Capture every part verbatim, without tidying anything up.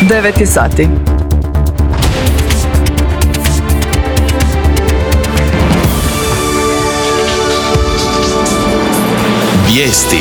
devet je sati. Vijesti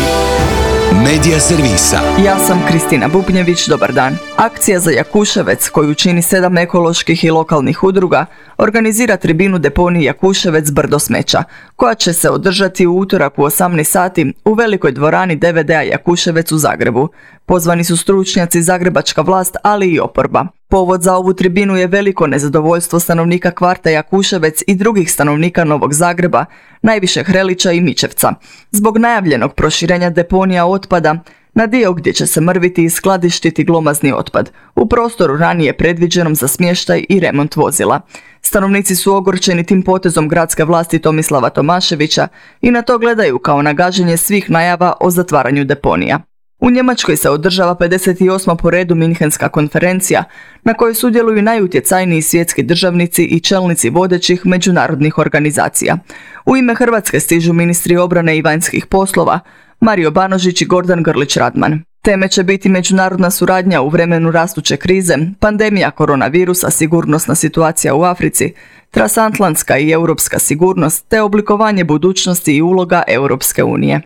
Medija servisa. Ja sam Kristina Bubnjević, dobar dan. Akcija za Jakuševec, koju čini sedam ekoloških i lokalnih udruga, organizira tribinu deponiji Jakuševec brdo smeća, koja će se održati u utorak u osamnaest sati u velikoj dvorani D V D-a Jakuševec u Zagrebu. Pozvani su stručnjaci, zagrebačka vlast, ali i oporba. Povod za ovu tribinu je veliko nezadovoljstvo stanovnika kvarta Jakuševec i drugih stanovnika Novog Zagreba, najviše Hrelića i Mičevca, zbog najavljenog proširenja deponija otpada na dio gdje će se mrviti i skladištiti glomazni otpad, u prostoru ranije predviđenom za smještaj i remont vozila. Stanovnici su ogorčeni tim potezom gradske vlasti Tomislava Tomaševića i na to gledaju kao na gaženje svih najava o zatvaranju deponija. U Njemačkoj se održava pedeset osma po redu Minhenska konferencija, na kojoj sudjeluju najutjecajniji svjetski državnici i čelnici vodećih međunarodnih organizacija. U ime Hrvatske stižu ministri obrane i vanjskih poslova, Mario Banožić i Gordan Grlić Radman. Teme će biti međunarodna suradnja u vremenu rastuće krize, pandemija koronavirusa, sigurnosna situacija u Africi, transatlantska i europska sigurnost te oblikovanje budućnosti i uloga Europske unije.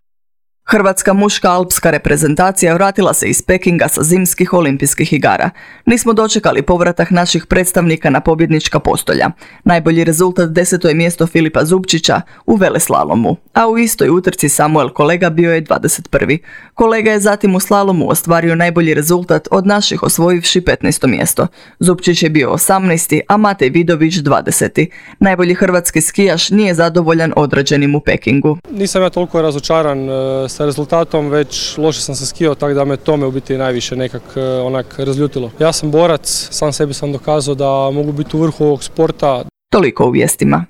Hrvatska muška alpska reprezentacija vratila se iz Pekinga sa zimskih olimpijskih igara. Nismo dočekali povratak naših predstavnika na pobjednička postolja. Najbolji rezultat deseto je mjesto Filipa Zupčića u veleslalomu, a u istoj utrci Samuel Kolega bio je dvadeset prvi. Kolega je zatim u slalomu ostvario najbolji rezultat od naših, osvojivši petnaesto mjesto. Zupčić je bio osamnaesti, a Matej Vidović dvadeseti. Najbolji hrvatski skijaš nije zadovoljan odrađenim u Pekingu. Nisam ja toliko razočaran sa rezultatom, već loše sam se skijao, tako da me tome u biti najviše nekak onak razljutilo. Ja sam borac, sam sebi sam dokazao da mogu biti u vrhu ovog sporta. Toliko u vijestima.